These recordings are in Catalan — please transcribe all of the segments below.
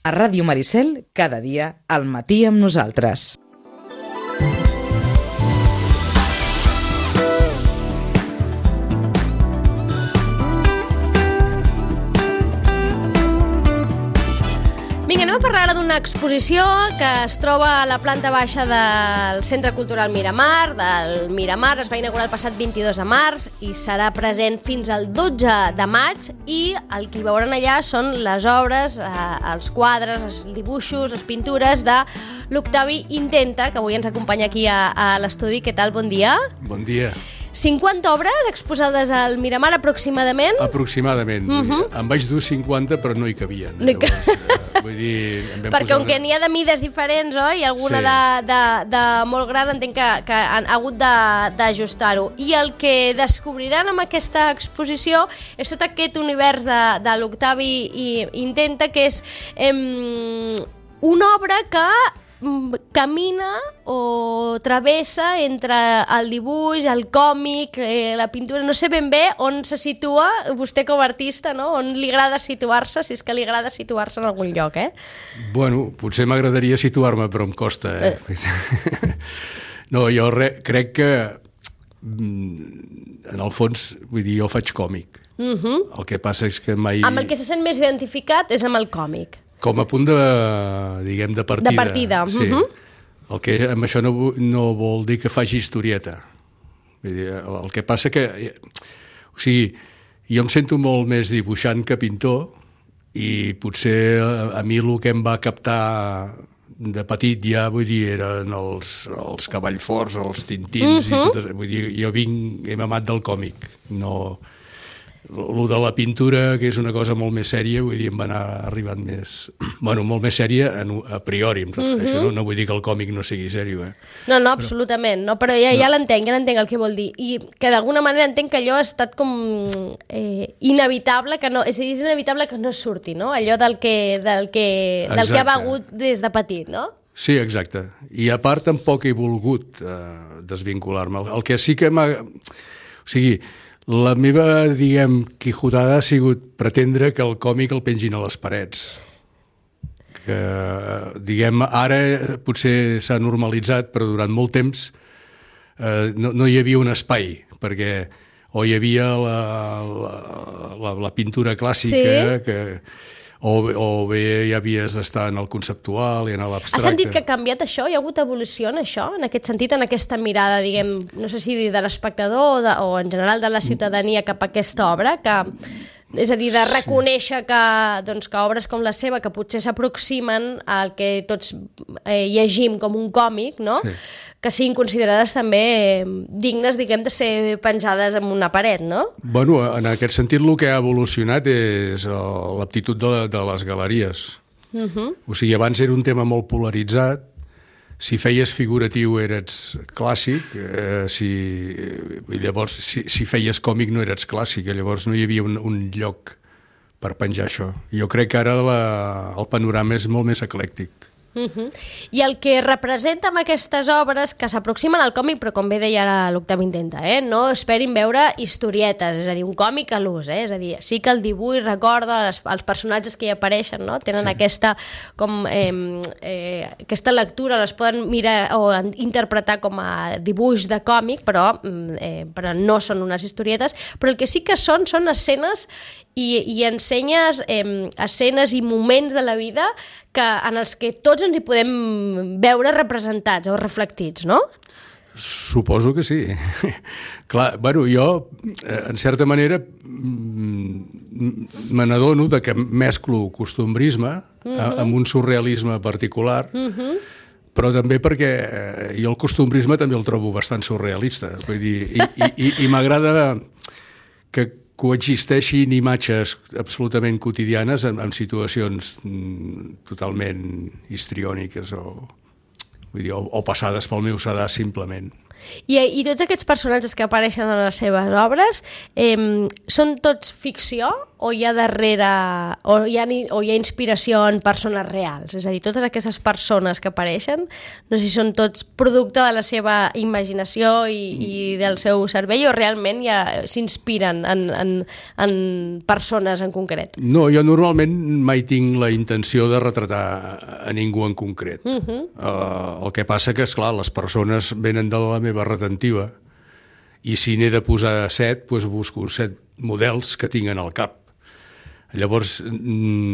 A Ràdio Maricel, cada dia, al matí amb nosaltres. Vinga, anem a parlar ara d'una exposició que es troba a la planta baixa del Centre Cultural Miramar, del Miramar. Es va inaugurar el passat 22 de març i serà present fins al 12 de maig, i el que hi veuran allà són les obres, els quadres, els dibuixos, les pintures de l'Octavi Intenta, que avui ens acompanya aquí a l'estudi. Què tal? Bon dia. Bon dia. 50 obres exposades al Miramar, aproximadament? Aproximadament. Em vaig dur 50, però no hi cabien. No hi Vull dir, perquè com que n'hi ha de mides diferents, oi? I alguna de molt gran, entenc que han hagut d'ajustar-ho. I el que descobriran amb aquesta exposició és tot aquest univers de l'Octavi Intenta, que és una obra que camina o travessa entre el dibuix, el còmic, la pintura. No sé ben bé on se situa vostè com a artista, no? On li agrada situar-se, si és que li agrada situar-se en algun lloc, Bueno, potser m'agradaria situar-me, però em costa, No, jo crec que en el fons, vull dir, jo faig còmic. El que passa és que mai... Amb el que se sent més identificat és amb el còmic. Com a punt de, diguem, de partida. De partida. Sí. El que amb això no vol dir que faci historieta. Vull dir, el que passa que... O sigui, jo em sento molt més dibuixant que pintor, i potser a mi el que em va captar de petit ja, vull dir, eren els Cavallforts, els Tintins, i tot, vull dir, jo he mamat del còmic, no... Lo de la pintura, que és una cosa molt més sèria, vull dir, em va anar arribant més... Bueno, molt més sèria a priori, em refereixo, no vull dir que el còmic no sigui sèrio, No, absolutament, no, però ja l'entenc el que vol dir. I que d'alguna manera entenc que allò ha estat com inevitable, que no, és a dir, és inevitable que no surti, no? Allò del que ha begut des de petit, no? Sí, exacte. I a part tampoc he volgut desvincular-me. El que sí que m'ha... O sigui, la meva, diguem, quijotada ha sigut pretendre que el còmic el pengin a les parets. Que, diguem, ara potser s'ha normalitzat, però durant molt temps no hi havia un espai, perquè o hi havia la pintura clàssica, o bé ja havies d'estar en el conceptual i en l'abstracte. Has sentit que ha canviat això? Hi ha hagut evolució en això? En aquest sentit, en aquesta mirada, diguem, no sé si de l'espectador o en general de la ciutadania cap a aquesta obra, que, és a dir, de reconèixer que obres com la seva, que potser s'aproximen al que tots llegim com un còmic, no? Sí. Que siguin considerades també dignes, diguem, de ser penjades en una paret, no? Bueno, en aquest sentit el que ha evolucionat és l'aptitud de les galeries. O sigui, abans era un tema molt polaritzat. Si feies figuratiu eres clàssic, llavors si feies còmic no eres clàssic, llavors no hi havia un lloc per penjar això. Jo crec que ara el panorama és molt més eclèctic. I el que representa amb aquestes obres que s'aproximen al còmic, però com bé deia ara l'Octavi Intenta, no esperin veure historietes, és a dir, un còmic a l'ús, és a dir, sí que el dibuix recorda els personatges que hi apareixen, no? Tenen aquesta lectura, les poden mirar o interpretar com a dibuix de còmic, però no són unes historietes, però el que sí que són escenes i ensenyes escenes i moments de la vida en els que tots ens hi podem veure representats o reflectits, no? Suposo que sí. Clar, bueno, jo, en certa manera, me n'adono que mesclo costumbrisme amb un surrealisme particular, però també perquè jo el costumbrisme també el trobo bastant surrealista. Vull dir, i m'agrada que coexisteixin imatges absolutament quotidianes en situacions totalment histriòniques o passades pel meu sedàs simplement. I tots aquests personatges que apareixen en les seves obres són tots ficció o hi ha darrere o hi ha inspiració en persones reals? És a dir, totes aquestes persones que apareixen, no sé si són tots producte de la seva imaginació i del seu cervell o realment ja s'inspiren en persones en concret? No, jo normalment mai tinc la intenció de retratar a ningú en concret. El que passa que, esclar, les persones venen de la meva retentiva i si n'he de posar 7, doncs busco 7 models que tinc al cap. Llavors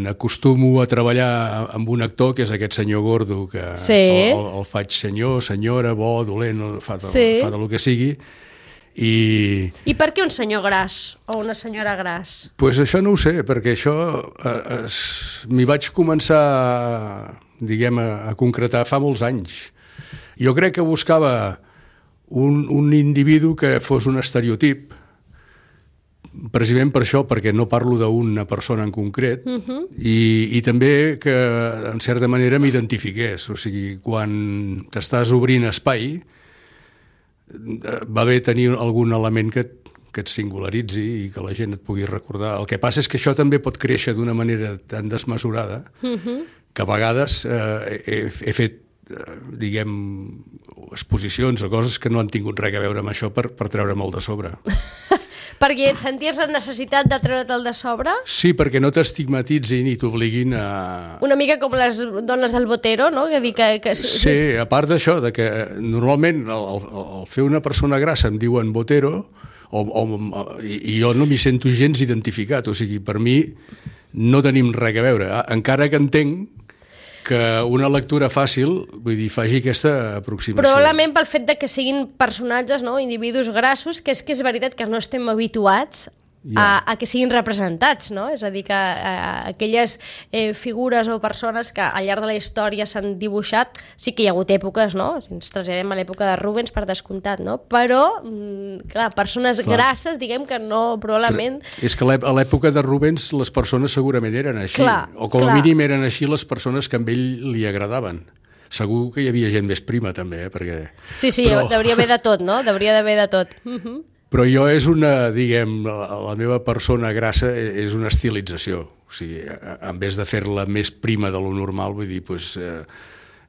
acostumo a treballar amb un actor que és aquest senyor gordo que el faig senyor, senyora, bo, dolent, fa del que sigui. I per què un senyor gras o una senyora gras? Doncs això no ho sé, perquè això m'hi vaig començar a concretar fa molts anys. Jo crec que buscava un individu que fos un estereotip, precisament per això, perquè no parlo d'una persona en concret, i també que, en certa manera, m'identifiqués. O sigui, quan t'estàs obrint espai, va bé tenir algun element que et singularitzi i que la gent et pugui recordar. El que passa és que això també pot créixer d'una manera tan desmesurada que a vegades he fet, exposicions o coses que no han tingut res a veure amb això per treure-me'l de sobre. Perquè et senties la necessitat de treure'l de sobre? Sí, perquè no t'estigmatitzin i t'obliguin a... Una mica com les dones del Botero, no? Sí, a part d'això, que normalment al fer una persona grassa em diuen Botero i jo no m'hi sento gens identificat. O sigui, per mi no tenim res a veure. Encara que entenc que una lectura fàcil, vull dir, faci aquesta aproximació. Probablement pel fet de que siguin personatges, no? Individus grassos, que és veritat que no estem habituats a que siguin representats, no? És a dir, que aquelles figures o persones que al llarg de la història s'han dibuixat, sí que hi ha hagut èpoques, no? Si ens traslladem a l'època de Rubens, per descomptat, no? Però, clar, persones grasses, diguem que no, probablement... Però és que a l'època de Rubens les persones segurament eren així, o com a mínim eren així les persones que a ell li agradaven. Segur que hi havia gent més prima, també, perquè... Sí, hauria d'haver de tot, no? Hauria d'haver de tot. Però jo és una, la meva persona grassa és una estilització. O sigui, en vez de fer-la més prima de lo normal, vull dir, doncs,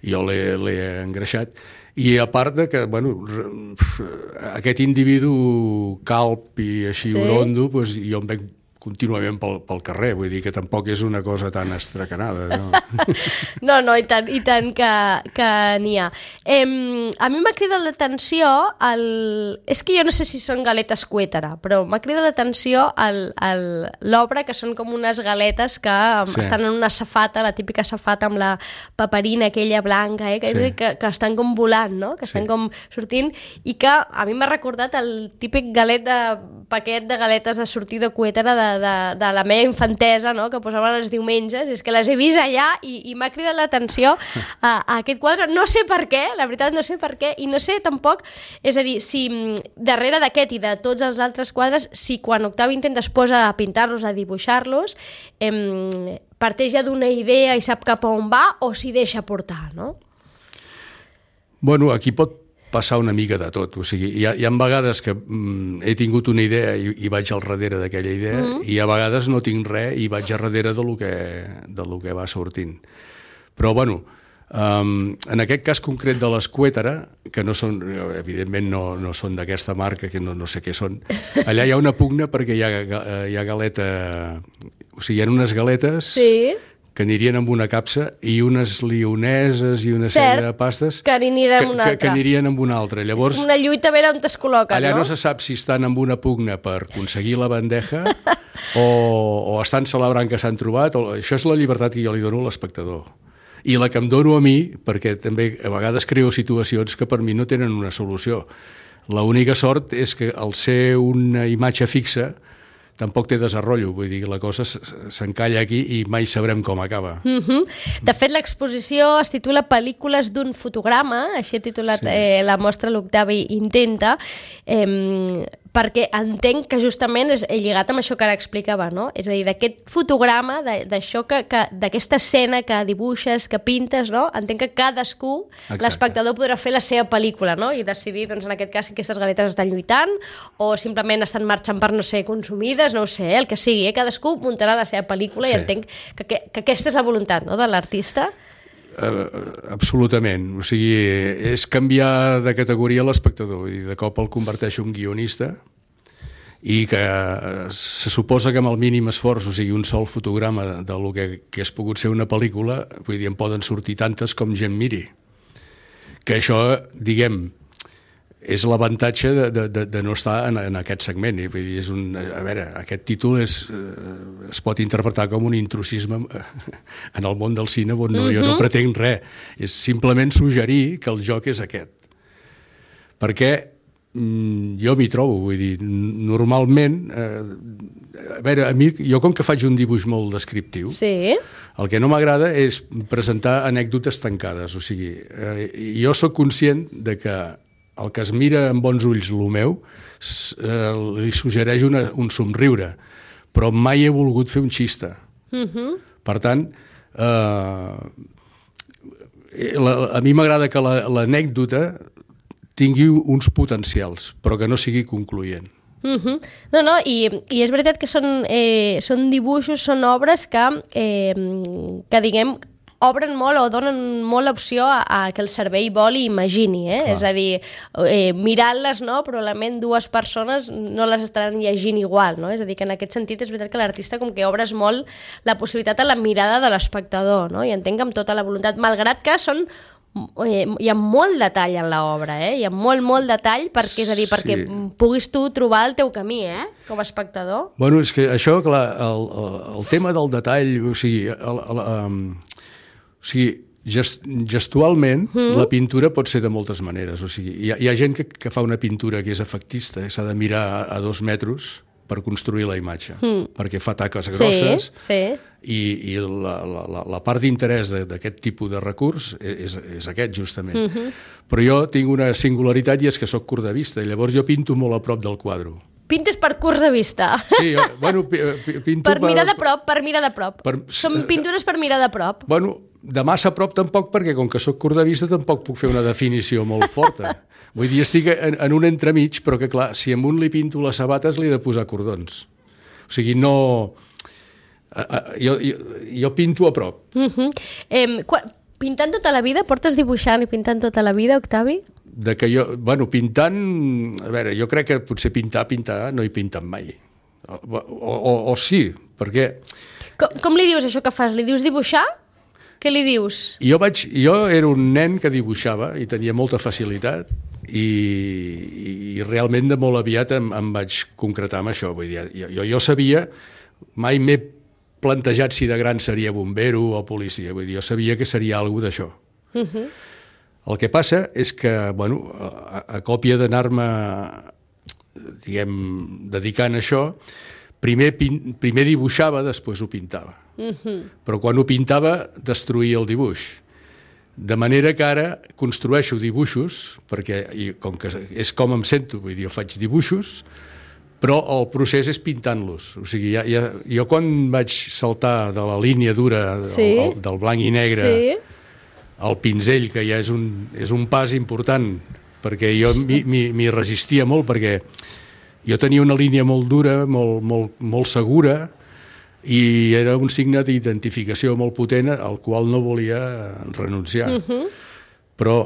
jo l'he engreixat. I a part de que, bueno, aquest individu calb i així orondo, doncs jo em veig contínuament pel carrer, vull dir que tampoc és una cosa tan estracanada. No, i tant que n'hi ha. A mi m'ha cridat l'atenció, és que jo no sé si són galetes Cuétara, però m'ha cridat l'atenció l'obra, que són com unes galetes que estan en una safata, la típica safata amb la paperina aquella blanca, que estan com volant, no? Que estan com sortint, i que a mi m'ha recordat el típic paquet de galetes de sortir de Cuétara de la meva infantesa, no? Que posaven els diumenges, és que les he vist allà i m'ha cridat l'atenció a aquest quadre, no sé per què, la veritat no sé per què, i no sé tampoc, és a dir, si darrere d'aquest i de tots els altres quadres, si quan Octavi Intent es posa a pintar-los, a dibuixar-los, parteix ja d'una idea i sap cap a on va, o s'hi deixa portar, no? Bueno, aquí pot passar una mica de tot, o sigui, hi ha vegades que he tingut una idea i vaig al darrere d'aquella idea, i a vegades no tinc res i vaig al darrere de lo que va sortint. Però, bueno, en aquest cas concret de les Cuétara, que no són, evidentment no són d'aquesta marca, que no sé què són, allà hi ha una pugna perquè hi ha galeta, o sigui, hi ha unes galetes... Sí, que anirien amb una capsa, i unes lioneses i una sèrie de pastes que anirien amb una altra. Que anirien amb una altra. Llavors, és una lluita a veure on es col·loca, allà no se sap si estan amb una pugna per aconseguir la bandeja o estan celebrant que s'han trobat. Això és la llibertat que jo li dono a l'espectador. I la que em dono a mi, perquè també a vegades creo situacions que per mi no tenen una solució. L'única sort és que al ser una imatge fixa tampoc té desenvolupament, vull dir, la cosa s'encalla aquí i mai sabrem com acaba. De fet, l'exposició es titula Pel·lícules d'un fotograma, així ha titulat la mostra l'Octavi Intenta, perquè entenc que justament és lligat amb això que ara explicava, no? És a dir, d'aquest fotograma, d'això d'aquesta escena que dibuixes, que pintes, no? Entenc que cadascú, l'espectador, podrà fer la seva pel·lícula, no? I decidir, doncs, en aquest cas, si aquestes galetes estan lluitant o simplement estan marxant per no ser consumides, no ho sé, el que sigui. Cadascú muntarà la seva pel·lícula i entenc que aquesta és la voluntat, no?, de l'artista. Absolutament, o sigui, és canviar de categoria l'espectador i de cop el converteix en un guionista i que se suposa que amb el mínim esforç, o sigui, un sol fotograma del que hagués pogut ser una pel·lícula, vull dir, en poden sortir tantes com gent miri. Que això, diguem, és l'avantatge de no estar en aquest segment. Vull dir, a veure, aquest títol es pot interpretar com un intrusisme en el món del cine on jo no pretenc res. És simplement suggerir que el joc és aquest. Perquè jo m'hi trobo, vull dir, normalment, a veure, a mi, jo com que faig un dibuix molt descriptiu, el que no m'agrada és presentar anècdotes tancades. O sigui, jo sóc conscient de que el que es mira amb bons ulls el meu li suggereix un somriure, però mai he volgut fer un xista. Per tant, a mi m'agrada que l'anècdota tingui uns potencials, però que no sigui concloent. No, i és veritat que són dibuixos, són obres que diguem, obren molt o donen molt opció a que el cervell vol i imagini, és a dir, mirant-les, no? Probablement dues persones no les estaran llegint igual, no? És a dir, que en aquest sentit és veritat que l'artista com que obres molt la possibilitat a la mirada de l'espectador, no? I entenc amb tota la voluntat, malgrat que hi ha molt detall en l'obra, hi ha molt detall, perquè, és a dir, perquè puguis tu trobar el teu camí, com a espectador. Bueno, és que això, clar, el tema del detall, o sigui, gestualment la pintura pot ser de moltes maneres. O sigui, hi ha gent que fa una pintura que és efectista, s'ha de mirar a 2 metres per construir la imatge, perquè fa taques grosses i la part d'interès d'aquest tipus de recurs és aquest, justament. Però jo tinc una singularitat i és que soc curt de vista, i llavors jo pinto molt a prop del quadre. Pintes per curts de vista. Sí, bueno, pinto... Per mirar de prop. Són pintures per mirar de prop. Bueno, de massa a prop tampoc, perquè com que soc curt de vista tampoc puc fer una definició molt forta. Vull dir, estic en un entremig, però que clar, si amb un li pinto les sabates li he de posar cordons. O sigui, no... Jo pinto a prop. Pintant tota la vida? Portes dibuixant i pintant tota la vida, Octavi? De que jo, bueno, pintant... A veure, jo crec que potser pintar no he pintat mai. O sí, perquè... Com li dius això que fas? Li dius dibuixar? Què li dius? Jo era un nen que dibuixava i tenia molta facilitat i realment de molt aviat em vaig concretar amb això. Vull dir, jo sabia, mai m'he plantejat si de gran seria bombero o policia. Vull dir, jo sabia que seria alguna d'això. El que passa és que, bueno, a còpia d'anar-me, diguem, dedicant a això, primer dibuixava, després ho pintava. Però quan ho pintava destruïa el dibuix. De manera que ara construeixo dibuixos, perquè com que és com em sento, vull dir, jo faig dibuixos, però el procés és pintant-los. O sigui, jo quan vaig saltar de la línia dura del blanc i negre al pinzell, que ja és un pas important, perquè jo m'hi resistia molt, perquè jo tenia una línia molt dura, molt segura, i era un signe d'identificació molt potent al qual no volia renunciar. Però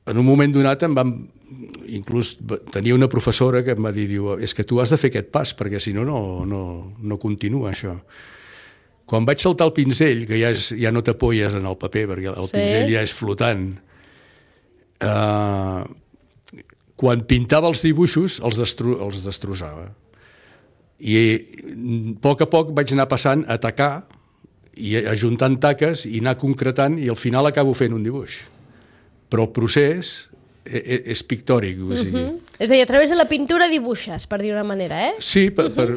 en un moment donat inclús tenia una professora que em va dir, és que tu has de fer aquest pas, perquè si no, no continua això. Quan vaig saltar el pinzell, que ja no t'apoyes en el paper, perquè el pinzell ja és flotant, quan pintava els dibuixos els destrossava. I a poc vaig anar passant a tacar i ajuntant taques i anar concretant i al final acabo fent un dibuix. Però el procés és pictòric, o sigui, És a dir, a través de la pintura dibuixes, per dir una manera, eh? Sí,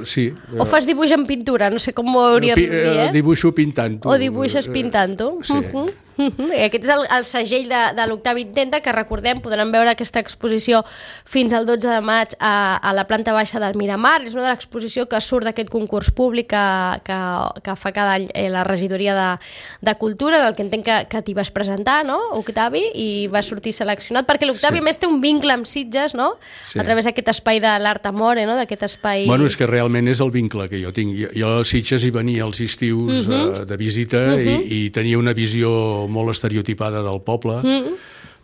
sí. O fas dibuix en pintura, no sé com ho hauria de dir, eh? Dibuixo pintant-ho. O dibuixes pintant-ho. Sí. Aquest és el segell de l'Octavi Intenta, que recordem, podran veure aquesta exposició fins al 12 de maig a la planta baixa del Miramar. És una de l'exposició que surt d'aquest concurs públic que fa cada any la regidoria de Cultura, en el que entenc que t'hi vas presentar, no, Octavi? I vas sortir seleccionat, perquè l'Octavi a més té un vincle amb Sitges, no? A través d'aquest espai de l'Art Amore, no? D'aquest espai... Bueno, és que realment és el vincle que jo tinc. Jo a Sitges hi venia als estius de visita i tenia una visió molt estereotipada del poble,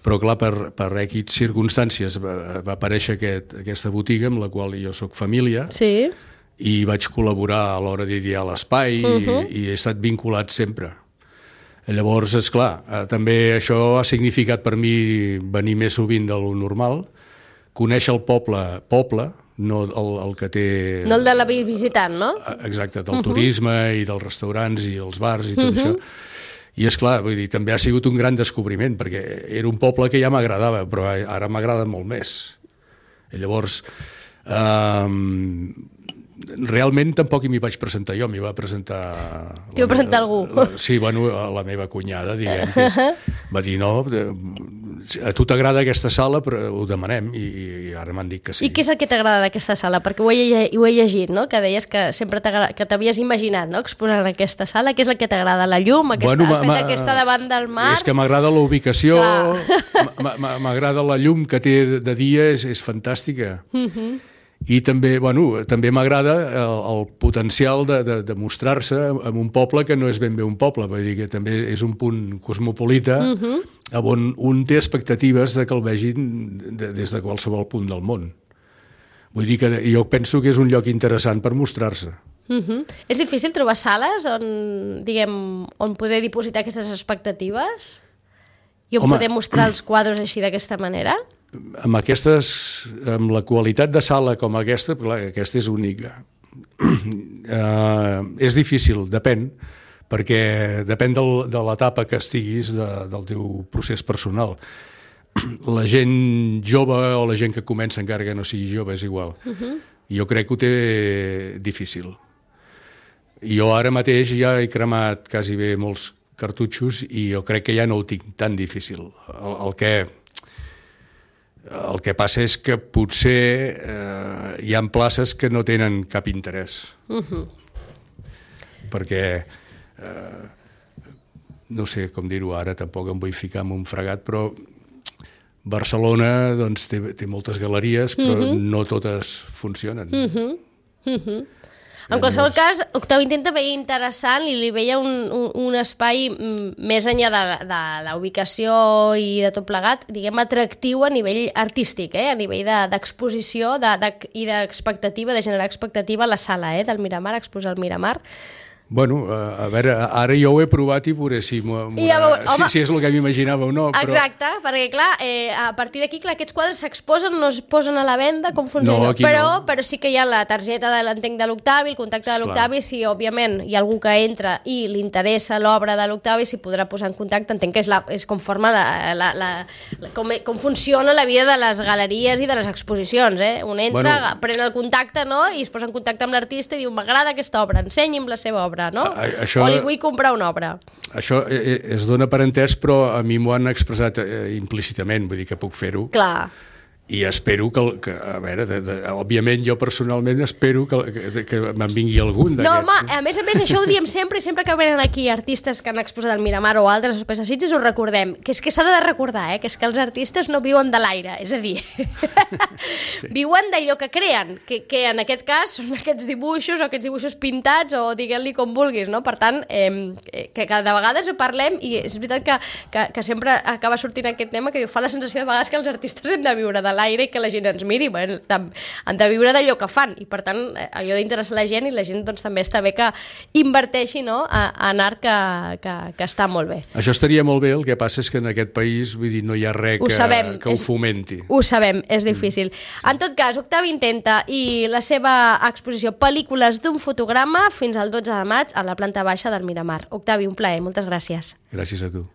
però clar, per X circumstàncies va aparèixer aquesta botiga amb la qual jo sóc família, i vaig col·laborar a l'hora d'idear l'espai i he estat vinculat sempre. Llavors, esclar, també això ha significat per mi venir més sovint de lo normal, conèixer el poble, no el que té... No el de la visitant, no? Exacte, del turisme i dels restaurants i els bars i tot això. I és clar, vull dir, també ha sigut un gran descobriment, perquè era un poble que ja m'agradava, però ara m'agrada molt més. I llavors, realment tampoc m'hi vaig presentar jo, m'hi va presentar... T'hi va presentar algú? Sí, bueno, la meva cunyada, diguem, que va dir, no, a tu t'agrada aquesta sala, però ho demanem, i ara m'han dit que sí. I què és el que t'agrada d'aquesta sala? Perquè ho he llegit, no?, que deies que sempre que t'havies imaginat, no?, exposar en aquesta sala. Què és el que t'agrada? La llum? El fet que està davant del mar? És que m'agrada la ubicació, m'agrada la llum que té de dia, és fantàstica. I també, bueno, també m'agrada el potencial de mostrar-se en un poble que no és ben bé un poble, vull dir que també és un punt cosmopolita on un té expectatives de que el vegin des de qualsevol punt del món. Vull dir que jo penso que és un lloc interessant per mostrar-se. És difícil trobar sales on poder dipositar aquestes expectatives? I on poder mostrar els quadres així d'aquesta manera? Amb la qualitat de sala com aquesta, clar, aquesta és única. És difícil, depèn, perquè depèn de l'etapa que estiguis del teu procés personal. La gent jove o la gent que comença encara que no sigui jove és igual. Jo crec que ho té difícil. Jo ara mateix ja he cremat quasi bé molts cartutxos i jo crec que ja no ho tinc tan difícil. El que passa és que potser hi ha places que no tenen cap interès. Perquè, no sé com dir-ho ara, tampoc em vull ficar en un fregat, però Barcelona doncs, té moltes galeries, però no totes funcionen. En qualsevol cas, Octavi Intenta veia interessant i li veia un espai més enllà de la ubicació i de tot plegat, diguem, atractiu a nivell artístic, a nivell d'exposició i d'expectativa, de generar expectativa a la sala del Miramar, exposar al Miramar. Bueno, a veure, ara jo ho he provat i veuré si és el que m'imaginava o no. Exacte, perquè clar, a partir d'aquí aquests quadres s'exposen, no es posen a la venda, com funciona? Però sí que hi ha la targeta de l'entenc de l'Octavi, el contacte de l'Octavi, si òbviament hi ha algú que entra i li interessa l'obra de l'Octavi, s'hi podrà posar en contacte. Entenc que és com funciona la vida de les galeries i de les exposicions. Un entra, pren el contacte i es posa en contacte amb l'artista i diu, m'agrada aquesta obra, ensenyi'm la seva obra. No? O li vull comprar una obra. Això es dona per entès, però a mi m'ho han expressat implícitament, vull dir que puc fer-ho. Clar. I espero que a veure, òbviament jo personalment espero que me'n vingui algun d'aquests. No, home, a més, això ho diem sempre, i sempre que venen aquí artistes que han exposat al Miramar o altres espais de Sitges ho recordem, que és que s'ha de recordar, que és que els artistes no viuen de l'aire, és a dir, viuen d'allò que creen, que en aquest cas són aquests dibuixos o aquests dibuixos pintats o diguem-li com vulguis, no? Per tant, que cada vegada ho parlem i és veritat que sempre acaba sortint aquest tema que fa la sensació de vegades que els artistes hem de viure de l'aire i que la gent ens miri, han de viure d'allò que fan i per tant allò d'interessar la gent i la gent doncs, també està bé que inverteixi en art que està molt bé. Això estaria molt bé, el que passa és que en aquest país vull dir, no hi ha res que ho fomenti. Ho sabem, és difícil. En tot cas, Octavi Intenta i la seva exposició Pel·lícules d'un fotograma fins al 12 de maig a la planta baixa del Miramar. Octavi, un plaer, moltes gràcies. Gràcies a tu.